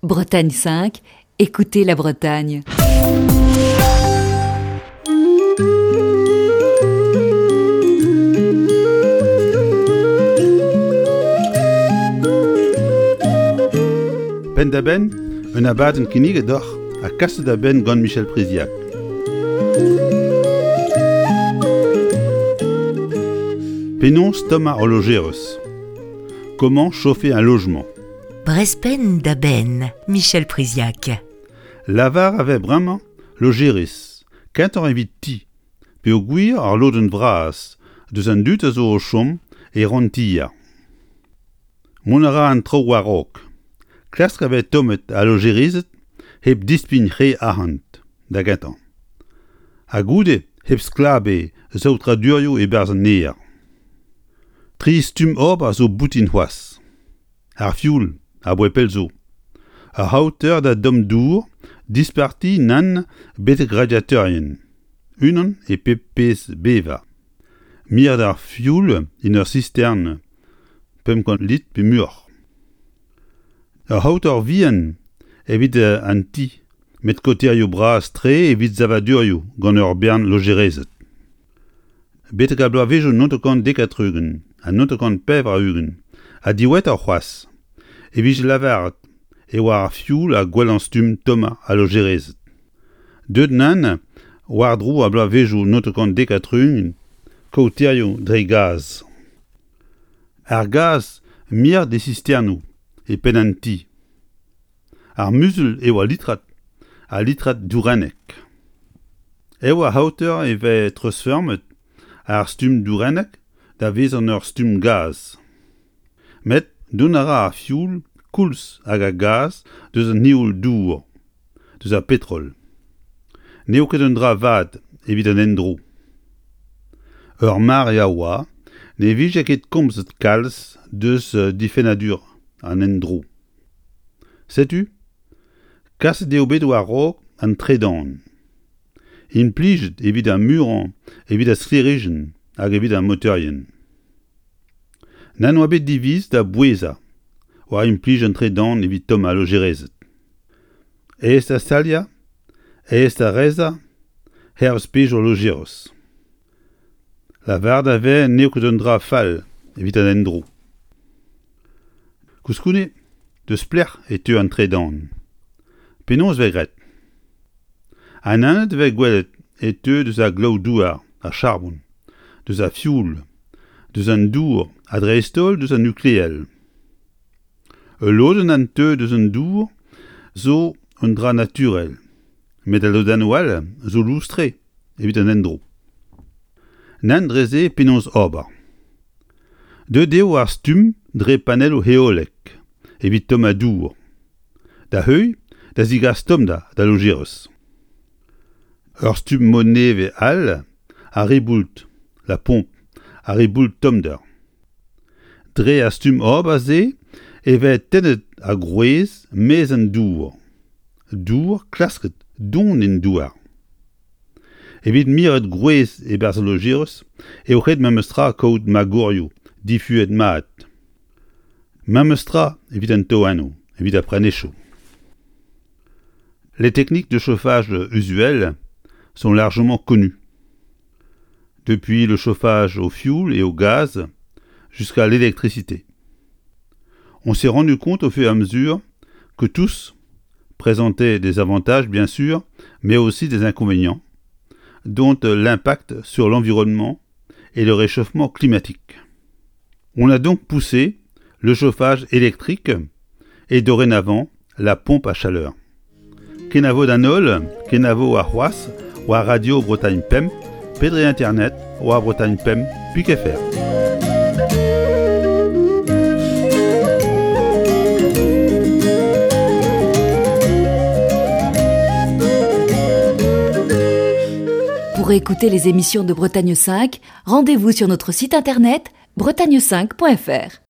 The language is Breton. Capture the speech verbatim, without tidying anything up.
Bretagne cinq, écoutez la Bretagne. Penn-da-benn, un abadenn kinniget deoc'h ha kaset da benn gant Michel Priziac. Penaos tommañ ul lojerez. Comment chauffer un logement? Brezh penn da benn, Michel Priziac. Lavar a vez bremañ lojerez, kentoc'h evit ti, peogwir ar lodenn vras deus an dud a zo o chom e ranntier. Mont a ra an traoù war-raok. Klask a vez tommet al lojerezed hep dispign re arc'hant, da gentañ. Ha goude hep sklaber saotradurioù e-barzh an aer. Tri stumm ober zo boutin c'hoazh. Ar fioul, abaoe pell zo. Ur c'haoter da domm dour, disparti nann betek radiatorien. Unan e pep pezh bevañ. Miret ar fioul en ur sistern pemp kant litr pe muioc'h. Ur c'haoter vihan evit an ti, met kaoterioù bras-tre evit savadurioù gant ur bern lojerezed. Betek ar bloavezhioù naontek dek ha tri-ugent ha naontek pevar-ugent ha diwezhatoc'h c'hoazh e vije lavaret e oa ar fioul ar gwellañ stumm tommañ al lojerezed. Deuet nann war-dro ar bloavezhioù naontek dek ha tri-ugent kaoterioù dre gaz. Ar gaz miret e sisternoù e penn an ti. Ar muzul eo al litrad, al litrad dourennek. Eo ar c'haoter e vez treuzfeurmet ar stumm dourennek da vezañ ur stumm gaz. Met dont a ra ar fioul koulz hag ar gaz deus an eoul-dour, deus ar petrol. N'eo ket un dra vat evit an endro. Ur mare a oa ne vije ket komzet kalz deus difennadur an endro. Setu, kaset eo bet war-raok an tredan. Implijet evit ar muiañ evit ar sklêrijenn hag evit ar motorien. Nann oa bet diviz da bouezañ war implij an tredan evit tommañ lojerezed. Aes da staliañ, aes da reizhañ, hervez pezhioù lojerez. Lavaret a vez n'eo ket un dra fall evit an endro. Koulskoude, deus pelec'h e teu an tredan. Penaos vez graet? An anat vez gwelet e teu deus ar glaou-douar, ar charbon, deus ar fioul, deus an dour ha dreist-holl deus an nukleel. Ul lodenn an teu deus an dour zo un dra naturel, met al lodennoù all zo lous-tre evit an endro. Nann dre-se penaos ober. Deuet eo ar stumm dre panelloù heolek evit tommañ dour. Da heuilh, da zigas tommder da lojerez. Ur stumm mod nevez all ar riboult, la pompe, ar riboult tommder. Dre ar stumm ober-se e vez tennet ar gwrez maez an dour. Dour klasket don en douar. Evit miret gwrez e-barzh al lojerez eo ret memestra kaout magorioù difuet mat. Memestra evit an toennoù, evit ar prenechoù. Les techniques de chauffage usuelles sont largement connues. Depuis le chauffage au fioul et au gaz jusqu'à l'électricité. On s'est rendu compte au fur et à mesure que tous présentaient des avantages bien sûr, mais aussi des inconvénients, dont l'impact sur l'environnement et le réchauffement climatique. On a donc poussé le chauffage électrique et dorénavant la pompe à chaleur. Kenavo d'an holl, kenavo warc'hoazh, war Radio Bretagne Pemp, pe dre internet, war Bretagne Pemp, pik F R. Pour écouter les émissions de Bretagne cinq, rendez-vous sur notre site internet bretagne cinq point F R.